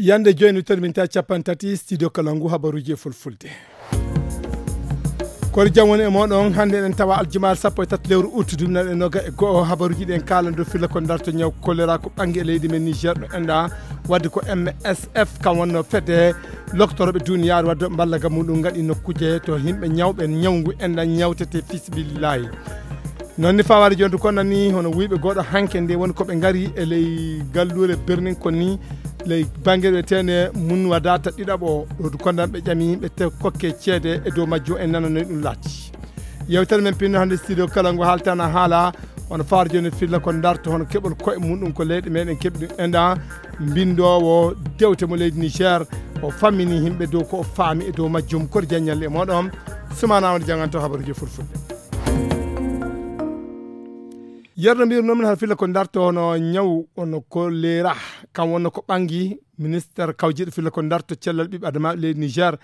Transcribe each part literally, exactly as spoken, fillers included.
Yande jooni, terminta capanɗe tati, studio Kalangu, habaruuji e fulfulde. Kori jam woni e mooɗon. Hannde eɗen tawa aljumaare sappo e tati lewru août duuɓi nayi e noga e go'o. Habaruuji ɗen kaalan dow filla ko darto ñaw kolera ko ɓangi e leydi men Niger ɗo enɗa. Wadde ko M S F, kam wonno fedde loktorooɓe duniyaaru wadde mballa ga muɗum ngaɗi nokkuuje to yimɓe ñawɓe ñawngu enɗa ñawtete fisbillahi. Noon ni fawaade jooni ko nani hono wuyɓe goɗo hanke nde woni ko ɓe ngari e ley galluure birnin ko ni ley bannge ɓe tene mun wadata ɗiɗaɓo ɗo du kondan ɓe ƴami ɓe te kokke ceede e dow majjo en nananoy ɗum laati. Yewtere men pinno hannde studio kala ngo haaltana haala hono fawaade jooni filla ko darto hono keɓol koye muɗum ko leyɗe meɗen keɓi ɗum enɗa. Mbindowo dewte mo leydi Niger o fammini yimɓe dow ko o faami e dow majjum. Kori jaññal e moɗon sumana woni janganto habaruji fulfulde. Yerno mbirnomin har filla ko darto hono ñaw ono kolera, kam wonno ko ɓangi ministre kawjiɗo filla ko darto cellal ɓiɓɓe adama leydi Niger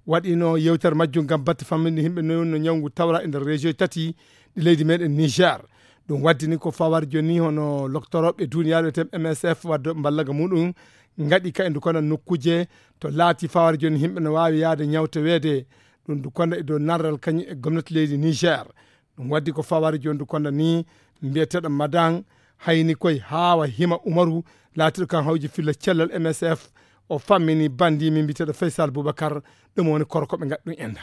waɗino yewtere majjum ngam batte famminde yimɓe no wonno ñawngu tawra e nder région tati ɗi leydi meɗen Niger. Ɗum waddini ko fawar joni hono loktoroɓe duniyaaru wiyete M S F wadde mballaga muɗum ngaɗi ka e ndu kono nokkuuje to laati fawar joni yimɓe no waawi yaade ñawteweede. Ɗum ndu kono e dow narral kañum e gomnati leydi Niger. Ɗum waddi ko fawar joni ndu kono ni mbiyeteɗo madan hayni koye haawa hima umaru laatiɗo kan hawji filla cellal M S F. O fammini bandi min mbiyeteɗo Faysal Boubacar. Ɗum woni korko ɓe ngaɗi ɗum enda.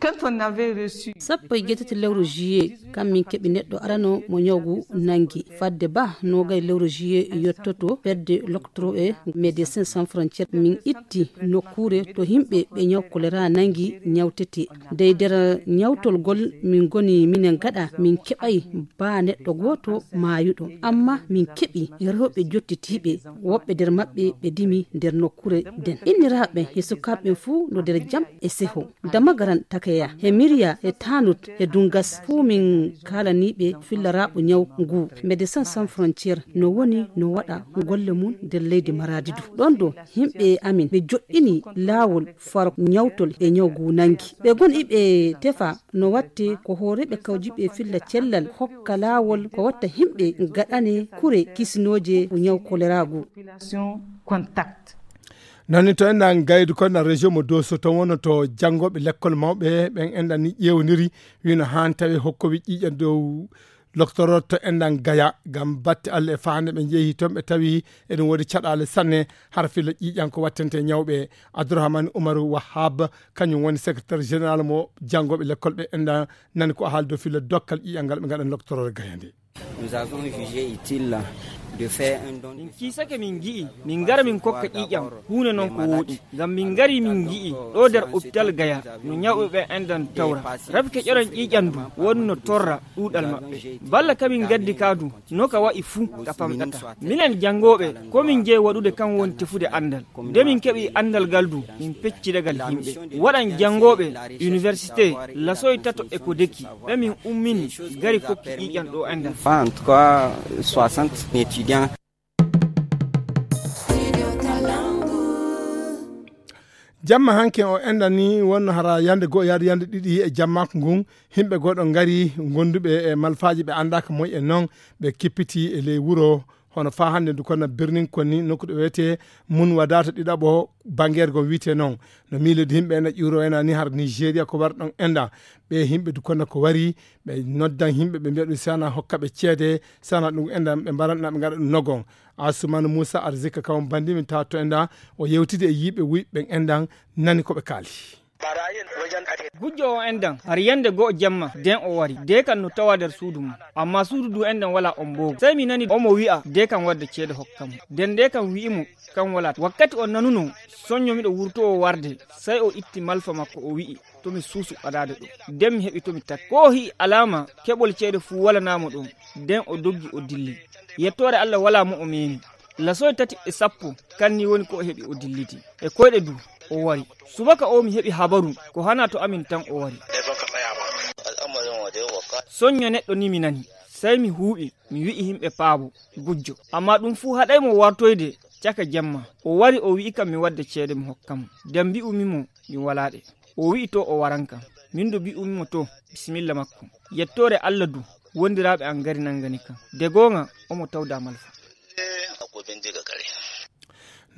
Quand on avait reçu sappo e jeetati lewru juillet kam min keɓi neɗɗo arano mo ñawgu nangi. Fadde ba nogay lewru juillet yettoto fedde loktorooɓe médecin sans frontiére min itti nokkuure to yimɓe ɓe ñaw kolera nangi ñawtete. Dey nder ñawtolgol min ngoni minen gaɗa min keɓay ba neɗɗo gooto maayuɗo. Amma min keɓi rewɓe jottitiiɓe woɓɓe nder maɓɓe ɓe dimi nder nokkuure den. Inniraaɓe e sukaaɓe ɓen fuu no nder jam e seho. Damagaran takeya he miriya he tanut he dungas fuu min kaalaniiɓe fillaraɓo ñaw ngu. Médecin sans frontiére no woni no waɗa golle mum nder leydi maradi du ɗon ɗo yimɓe amin ɓe joɗɗini laawol faro ñawtol e ñaw ngu nangi ɓe gon iɓe tefa no watte ko hooreɓe kawjiɓe filla cellal hokka laawol ko watta yimɓe gaɗane kure kisinooje ko ñaw kolera ngu. Nani to enɗan gaydu ko na région mo doso to wono to janngoɓe lekkol mawɓe ɓen enɗan ni ƴewniri wino han tawi hokkowi ƴiƴa dow loktoror to enɗan gaya ngam batte allah e fahande ɓe jeehi toon ɓe tawi eɗum woodi caɗale sanne har filla ƴiƴan ko wattante ñawɓe. Abdourahmane Oumarou Wahab kañum woni secrétaire général mo janngoɓe lekkol ɓe enɗan nani ko haali dow filla dokkal ƴiƴal ngal ɓe ngaɗan loktoror gaya nde. Nous avons jugé utile de faire un don. Min kiisake min ngi'i min ngara min kokka ƴiiƴam huunde noon ko wooɗi ngam min ngari min ngi'i ɗo nder hôpital gaya no ñawɓe ɓe enɗan tawra. Rafi keƴoran ƴiiƴam ndu wonno torra ɗuuɗal maɓɓe balla kamin gaddi ka du no ka wa'i fuu ka famɗata. Minen janngooɓe ko min njeyi waɗude kan woni tefude anndal. Nde min keɓi anndal ngal du min pecci dagal yimɓe waɗan janngooɓe université lasoy tato e ko deki ɓe min ummini gari kokki ƴiiƴan ɗo enɗan. En tout cas soixante étudiants. Jamma hanke o enɗan ni wonno hara yande go'o yaade yande ɗiɗi e jammaako ngun yimɓe goɗo ngari gonduɓe e malfaaji ɓe anndaka moy e noon ɓe kippiti e ley wuro. Hono faa hannde ndu konna birnin konni nokku ɗo wiyetee mun wadata ɗiɗaɓo bangeere gom wiyetee noon no miilodi yimɓe ena ƴuuro ena ni har nigeria ko wari ɗon enɗan. Ɓe yimɓe du konna ko wari ɓe noddan yimɓe ɓe mbiya ɗum sana hokka ɓe ceede sana ɗum enɗan ɓe mbaranɗa ɓe ngaɗa ɗum nogon. Asumanu moussa arzika kawon bandi min tawa to enɗan o yewtidi e yiɓe wuyɓe ɓen enɗan nani ko ɓe kaali. Gujjo o enɗan har yande go'o jemma den o wari de kan no tawa nder suudu mum amma suudu du enɗan wala on mbogu sey mi nani omo wi'a de kan wadda ceede hokka mo den de kan wi'imo kan wala wakkati o nanuno sonyo miɗo wurtowo warde sey o itti malfa makko o wi'i to mi suusu ɓadaade ɗo den mi heɓi to mi takki ko o hi'i alama keɓol ceede fuu walanamo ɗon den o doggi o dilli. Yettoore allah wala mo o meemi lasoy tati e sappo kanni woni ko o heɓi o dilliti e koyɗe du o wari. Subaka o mi heɓi habaru ko hana to amin tan o wari. Sonyo neɗɗo ni mi nani sey mi huuɓi mi wi'i yimɓe paabo gujjo amma ɗum fuu haɗay mo wartoyde caka jemma. O wari o wi'i kam mi wadda ceede mi hokka mo nden mbi'umi mo mi walaa ɗe. O wi'i to o waran kam min du mbi'umi mo to bisimilla makko. Yettoore allah du wondiraaɓe an ngari nangani kam de goonga omo tawda malfa.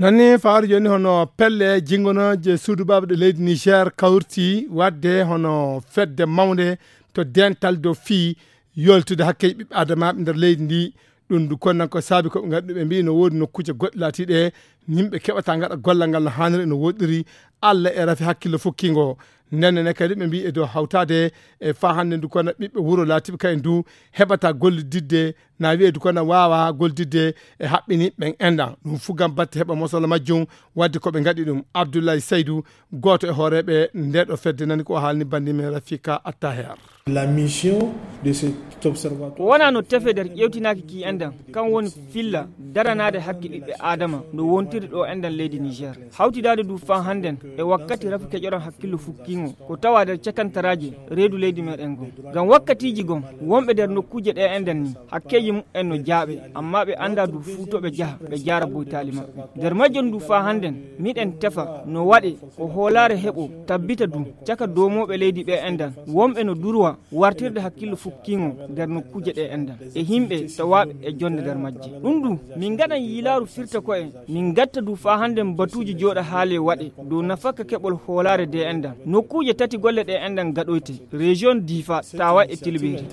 Noon ni, fawaade jooni, hono pelle jinngonooje suudu baaba ɗe leydi Niger kawriti waɗde hono fedde mawnde to dental dow fii yoltude hakkeeji ɓiɓɓe aadamaaɓe nder leydi ndi. Ɗum du kono ko saabi ko ɓe ngaddi, ɓe mbii no woodi nokkuuje goɗɗe laatiiɗe yimɓe keɓata ngaɗa gollal ngal no haaniri, no woɗɗiri, Allah e rafi hakkillo fukkingo. Nden ne kadi ɓe mbii e dow hawtaade e faa hannde ndu kono ɓiɓɓe wuro laatiiɓe kayen du heɓata gollididde, na wi'e du kono waawa gollididde e haɓɓini ɓen enɗan. Ɗum fuu ngam batte heɓa mosolo majjum, wadde ko ɓe ngaɗi ɗum. Abdoulaye Seydou, gooto e hooreeɓe nde ɗo fedde, nani ko o haalni banndi men Rafika Attaher. La mission de cet observatoire. Ko wonaa no tefe nder ƴeewtinaaki ki enɗan, kan woni filla daranaade hakke ɓiɓɓe Aadama no wontiri ɗo enɗan leydi Niger. Hawtidaade du faa hannden e wakkati rafi keƴoran hakkillo fukkiingo ko tawa nder cakantaraaje reedu leydi meɗen ngon. Ngam wakkatiiji gon, wonɓe nder nokkuuje ɗe enɗan ni, hakkeeji muɓɓen no jaaɓe, amma ɓe anndaa du fuu to ɓe jaha, ɓe jaara boytaali maɓɓe. Nder majjum du faa hannden, miɗen tefa no waɗe ko hoolaare heɓo tabbita du caka doomooɓe leydi ɓe enɗan, wonɓe no durwa wartirde hakkillo fukkiingo nder nokkuuje ɗe enɗan, e yimɓe tawaaɓe e jonnde nder majje. Ɗum du, min ngaɗan yiilaaru firta ko'e, min ngatta du faa hannden batuuji jooɗa haale waɗe dow nafakka keɓol hoolaare de enɗan. Nokkuuje tati golle ɗe enɗan gaɗoyte, région Difa, Tawa e Tilberi.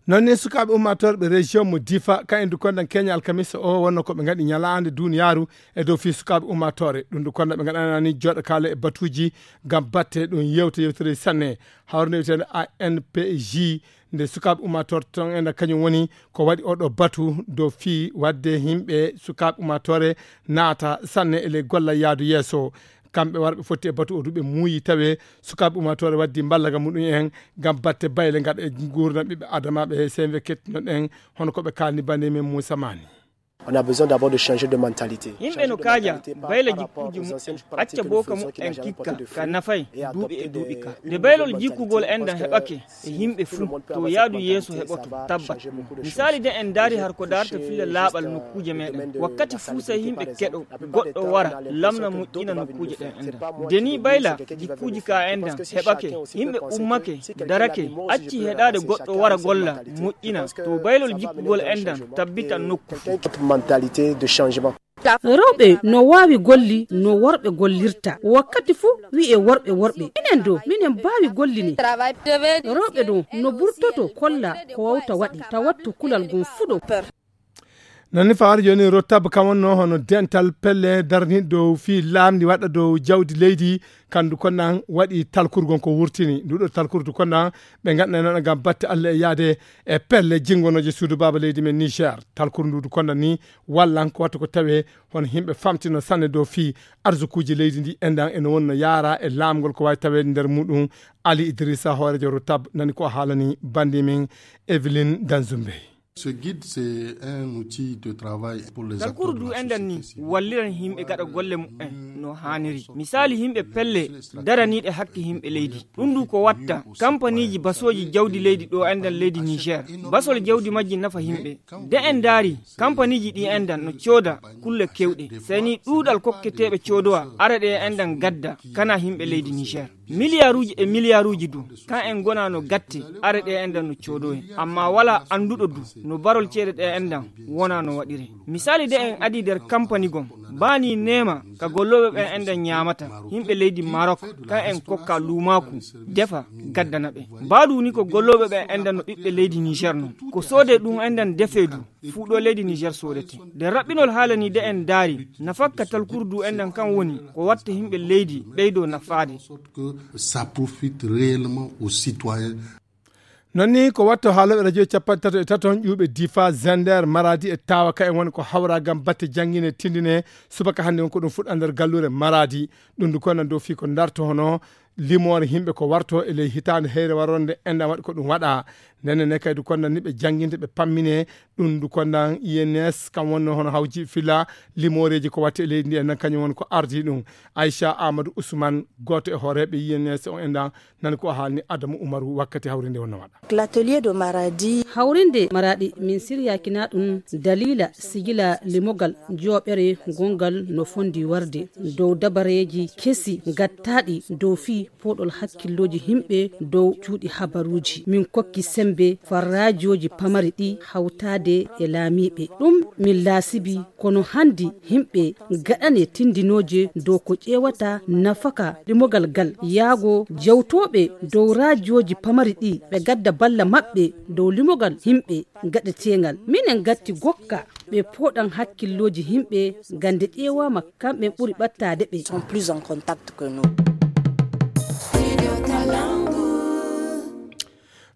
Noon ni, sukaaɓe ummaatooɓe région mo Difa, kayen du kondan keña alkamisa o, wonno ko ɓe ngaɗi ñalaande duniyaaru e dow fii sukaaɓe ummaatoore. Ɗum du kondan ɓe ngaɗanani jooɗa kaala e batuuji ngam batte ɗum yewta yewtere sanne. Hawrinde wiyeteende A N P J, nde sukaaɓe ummaatoore ton enɗan kañum woni ko waɗi oɗo batu dow fii waɗde yimɓe sukaaɓe ummaatoore naata sanne e ley golla yaadu yeeso. Kamɓe warɓe fotti e batu o du ɓe muuyi tawe sukaaɓe ummaatoore waddi mballaga muɗum en ngam batte bayle ngaɗa e nguurndam ɓiɓɓe adamaaɓe he seyɓe kettunoɗen hono ko ɓe kaalni bannde men Moussa Mani. On a besoin d'abord de changer de mentalité. Yimɓe no kaaja bayla jikkuuji muɓɓen, acca booka muɓɓen kikka ka nafay duuɓi e duuɓi ka. Nde baylol jikkugol enɗan heɓake e yimɓe fuu, to yaadu yeeso heɓoto tabbat. Misaali, de en ndaari har ko daarta filla laaɓal nokkuuje meɗen. Wakkati fuu sey yimɓe keɗo goɗɗo wara lamna moƴƴina nokkuuje ɗen enɗan. Nde nii bayla jikkuuji ka enɗan heɓake, yimɓe ummake, darake, acci heɗaade goɗɗo wara golla moƴƴina, to baylol jikkugol enɗan tabbitan nokku fuu. Mentalité de changement. Rewɓe no waawi golli no worɓe gollirta. Wakkati fuu wi'e worɓe, worɓe. Minen do, minen mbaawi golli ni. Rewɓe do no burtoto kolla ko wawta waɗi, tawattu kulal gon fuu ɗo. Noon ni, fawaade jooni, Rotab kam wonno hono dental pelle daraniiɗo dow fii laamndi waɗa dow jawdi leydi, kandu konnan waɗi talkurgon ko wurtini. Ndu ɗo talkurdu konnan ɓe ngaɗnay noon ngam batte Allah e yaade e pelle jinngonooje suudu baaba leydi men Niger. Talkurdu ndu konnan ni wallan ko watta ko tawe hono yimɓe famtino sanne dow fii arsukuuji leydi ndi enɗan e no wonno yaara e laamgol ko waawi taweede nder muɗum. Ali Idrissa, hooreejo Rotab, nani ko haalani bannde men Evelyne Danzumbe. Ce guide, c'est un outil de travail pour les acteurs de la société civile. Talkuru du enɗan ni walliran yimɓe gaɗa golle muɓɓen no haaniri. Misaali, yimɓe pelle daraniiɗe hakke yimɓe leydi. Ɗum du ko watta kampaniiji basooji jawdi leydi ɗo enɗan leydi Niger. Basol jawdi majji nafa yimɓe. De en ndaari, kampaniiji ɗi enɗan no cooda kulle kewɗe. Sey ni ɗuuɗal kokketeeɓe coodowa ara ɗe enɗan gadda kana yimɓe leydi Niger. Miliyaaruuji e miliyaaruuji du, kan en ngonaa no gatte, ara ɗe enɗan no coodowe. Amma walaa annduɗo du no barol ceede ɗe enɗan wonaa no waɗire. Misaali, de en adii nder kampani gon, baani neema ka gollooɓe ɓen enɗan ñaamata, yimɓe leydi Maroc, kan en kokka luumaaku, defa, gaddana ɓe. Baa du ni ko gollooɓe ɓen enɗan no ɓiɓɓe leydi Niger non. Ko soodee ɗum enɗan defee du, fuu ɗo leydi Niger soodete. Nde raɓɓinol haala ni de en ndaari, nafakka talkuru du enɗan kan woni ko watta yimɓe leydi ɓeydoo nafaade. Sorte que ça profite réellement aux citoyens. Noon ni ko watta haalooɓe radio capanɗe tato e tato on ƴuuɓe Difa, Zender, Maradi e Tawa ka en woni ko hawra ngam batte janngine tindine subaka hannde on ko ɗum fuɗɗa nder galluure Maradi. Ɗum du kono dow fii ko ndarto hono limoore yimɓe ko warto e ley hitaande heyre waronde enɗan waɗi ko ɗum waɗa. Ndenne ne kay du kondan ni ɓe jannginde ɓe pammine ɗum du kondan I N S kam wonno hono hawji fila limooreeji ko watte e leydi ndi enɗan kañum woni ko ardi ɗum. Aicha Amadou Ousmane, gooto e hooreeɓe I N S o enɗan, nani ko haalni Adamu Umaru wakkati hawrinde wonno waɗa. L'atelier de Maradi. Hawrinde Maradi min siryaakina ɗum daliila sigila limogal jooɓere gongal no fondi warde dow dabareeji kesi gattaaɗi dow fii Pooɗol hakkillooji yimɓe dow cuuɗi habaruuji. Min kokki semmbe farraajooji pamari ɗi hawtaade e laamiiɓe. Ɗum min laasibi, kono hanndi yimɓe ngaɗane tinndinooje dow ko ƴeewata nafaka limogal ngal. Yaago jewtooɓe dow raajooji pamari ɗi, ɓe ngadda balla maɓɓe dow limogal yimɓe ngaɗeteengal. Minen ngatti gokka ɓe pooɗan hakkillooji yimɓe, ngam nde ƴeewaama kamɓe ɓuri ɓattaade ɓe.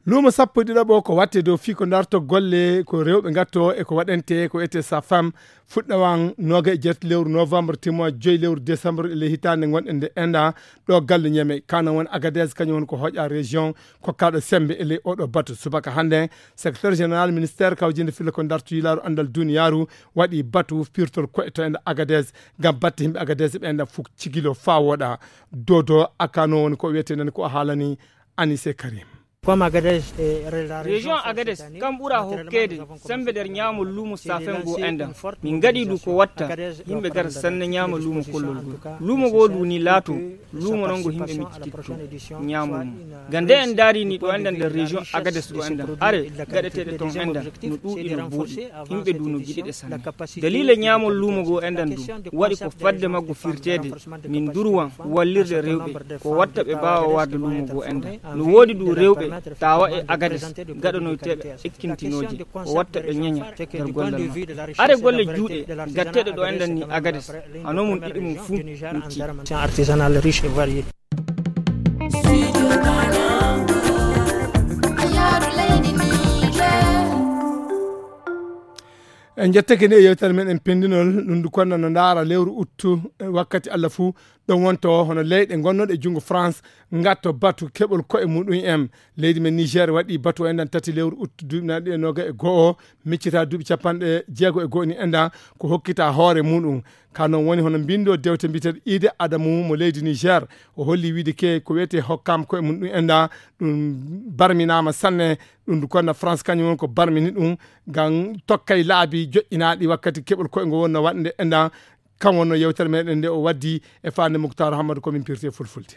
Luumo sappo e ɗiɗaɓo ko watte dow fii ko darto golle ko rewɓe ngatto e ko waɗante ko wiyetee safam fuɗɗawan nooga e jeetati lewru novembre timmo joyi lewru décembre e ley hitaande ngonɗen nde enda ɗo galle Ñeme. Kano won Agadez kañum won ko hoƴa région kokkaaɗo semmbe e ley oɗo batu. Subaka hannde, secrétaire général ministère kawjinde filla ko darto yilaaru anndal duniyaaru waɗi batu pirtol koye to enda Agadez ngam batte yimɓe Agadez ɓe enda fof cigilo faa woɗa. Dodo akano woni ko wiyetee nan ko o haalani Anise Karim. Région Agadez kam ɓura hokkeede semmbe nder ñaamol luumo safen goo enɗan. Min ngaɗi ɗum ko watta yimɓe ngara sanne ñaama luumo kollol ngol. Luumo goo ɗum ni laato luumo non ngo yimɓe miccititto ñaamol mum. Ngam nde en ndaari ni ɗo enɗan nder région Agadez ɗo enɗan, are gaɗeteeɗe ton enɗan no ɗuuɗi no booɗi, yimɓe du no giɗi ɗe sanne. Daliila ñaamol luumo goo enɗan du waɗi ko fadde maggo firteede min durwan wallirde rewɓe ko watta ɓe mbaawa warde luumo goo enɗan. No woodi du rewɓe tawa e Agadez gaɗanoyteeɓe ekkintinooje ko watta ɓe ñeña nder gollal maɓɓe. Are golle juuɗe gatteeɗe ɗo enɗan ni Agadez hano mum ɗiɗi mum fuu mucci. En jettake ni e yewtere men en pindinol ɗum ndu konna no ndaara lewru uttu, eh, wakkati Allah fuu ɗon wonto hono leyɗe gonnoɗe e junngo France ngatto batu keɓol koye muɗum en. Leydi men Niger waɗi batu o enɗan tati lewru uttu duuɓi naɗi e noga e go'o miccita duuɓi capanɗe jeego e go'o ni enɗan ko hokkita hoore muɗum. Ka non woni hono mbindo dewte mbiyeteeɗo Ide Adamu mo leydi Niger. O holli wiide ke ko wiyetee hokkam koye mum ɗum enɗan ɗum barminaama sanne. Ɗum ndu konna France kañum won ko barmini ɗum ngam tokkay laabi joƴƴinaaɗi wakkati keɓol koye ngo wonno waɗnde enɗan. Kam wonno yewtere meɗen nde o waddi e faande Muktar Hamadu ko min pirti e fulfulde.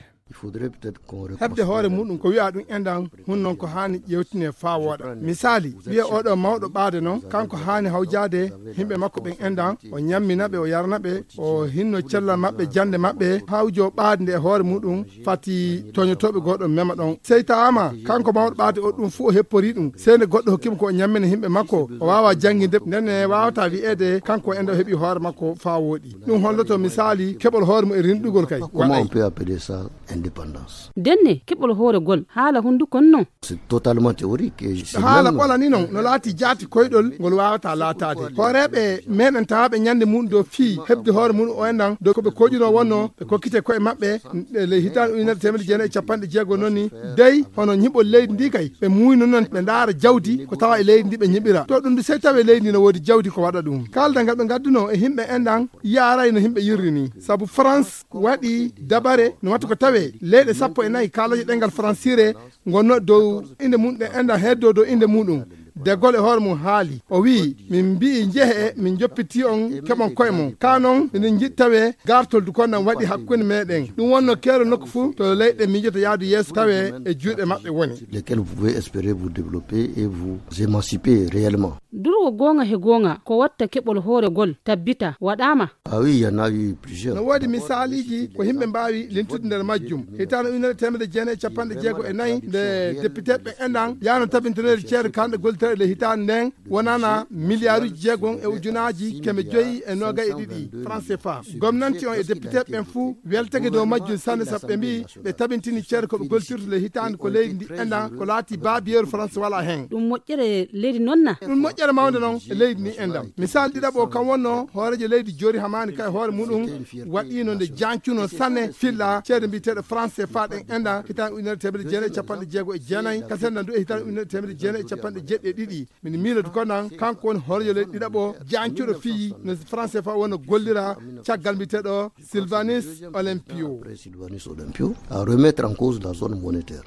Heɓde hoore muɗum ko wi'a ɗum enɗan hun non ko haani ƴewtine faa wooɗa. Misaali, wi'a oɗo mawɗo ɓaade non kanko haani hawjaade yimɓe makko ɓen enɗan, o ñammina ɓe, o yarna ɓe, o hinno cellal maɓɓe, jannde maɓɓe, hawjo ɓaade nde e hoore muɗum fati toñotooɓe goɗɗo mema ɗon. Sey tawaama kanko mawɗo ɓaade o ɗum fuu o heppori ɗum, sey nde goɗɗo hokkimo ko o ñammina yimɓe makko, o waawa jannginde, ndenne waawata wi'eede kanko enɗan o heɓi hoore makko faa wooɗi. Ɗum holloto misaali keɓol hoore mum e rinɗugol kay. Comment on peut appeler ça indépendance? Ndenne keɓol hooregol haala hunduko non. C'est totalement théorique. Haala ɓolani non no laati jaati koyɗol ngol waawata laataade. Hooreeɓe meɗen tawaaɓe ñande muɗum dow fii heɓde hoore muɗum o enɗan dow ko ɓe koƴuno wonno ɓe kokkite koye maɓɓe e ley hitaande ujunere teemedde jeenayi e capanɗe jeego non ni. Dey hono ñiɓol leydi ndi kay ɓe muuyno non ɓe ndaara jawdi ko tawa e leydi ndi ɓe ñiɓira. To ɗum ndu sey tawi leydi ndi no woodi jawdi ko waɗa ɗum. Kaalda ngal ɓe ngadduno e yimɓe enɗan yaaray no yimɓe yirri ni. Sabu France waɗi dabare no watta ko tawe leyɗe sappo e nayi kaalaje ɗengal fransire ngonno dow inde mum ɗe enɗan heddo dow inde muɗum. De Gaulle e hoore mum haali. O wi'i, "Min mbi'i njehe, min joppiti on keɓon koye mon. Ka non, miɗen njiɗi tawe gartol du konnan waɗi hakkunde meɗen." Ɗum wonno keero nokku fuu to leyɗe miijata yaadu yeeso tawe e juuɗe maɓɓe woni. Lesquels vous pouvez espérer vous développer et vous émanciper réellement. Durwo goonga he goonga ko watta keɓol hooregol tabbita waɗaama. Ah oui, il y en a eu plusieurs. No woodi misaaliiji ko yimɓe mbaawi lintude nder majjum. Hitaande ujunere teemedde jeenayi e capanɗe jeego e nayi, nde depiteeɓe enɗan yaano tabintinede ceede kanɗe gollitee e ley hitaande nden, wonana miliyaaruuji jeegom e ujunaaji keme joyi e noogay e ɗiɗi franc C F A. Gomnanti on e depiteeɓe ɓen fuu weltake dow majjum sanne, sabu ɓe mbi'i ɓe tabintini ceede ko ɓe gollitirta ley hitaande ko leydi ndi enɗan ko laati baabiyeeru France wala hen. Ɗum moƴƴere leydi non na? Ɗum moƴƴere mawnde non e leydi ndi enɗan. Misaal ɗiɗaɓo kam wonno hooreejo leydi Jori Hamani ka e hoore muɗum waɗiino nde jancuno sanne filla ceede mbiyeteeɗe franc C F A ɗen enɗan hitaande ujunere teemedde jeenayi e capanɗe jeego e jeenayi, kasen nan du e hitaande ujunere teemedde jeenayi e capanɗe jeeɗiɗi e ɗiɗi. Min miiloto ko nan kanko woni hooreejo leydi ɗiɗaɓo jancuɗo fii no franc C F A wonno gollira caggal mbiyeteeɗo Sylvanus Olympio. Après Sylvanus Olympio à remettre en cause la zone monétaire.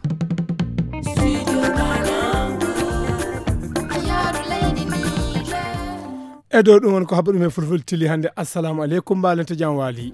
E dow ɗum woni ko habba ɗum e fulfulde tili hannde. Assalamu aleykum, mbaalente jam waali.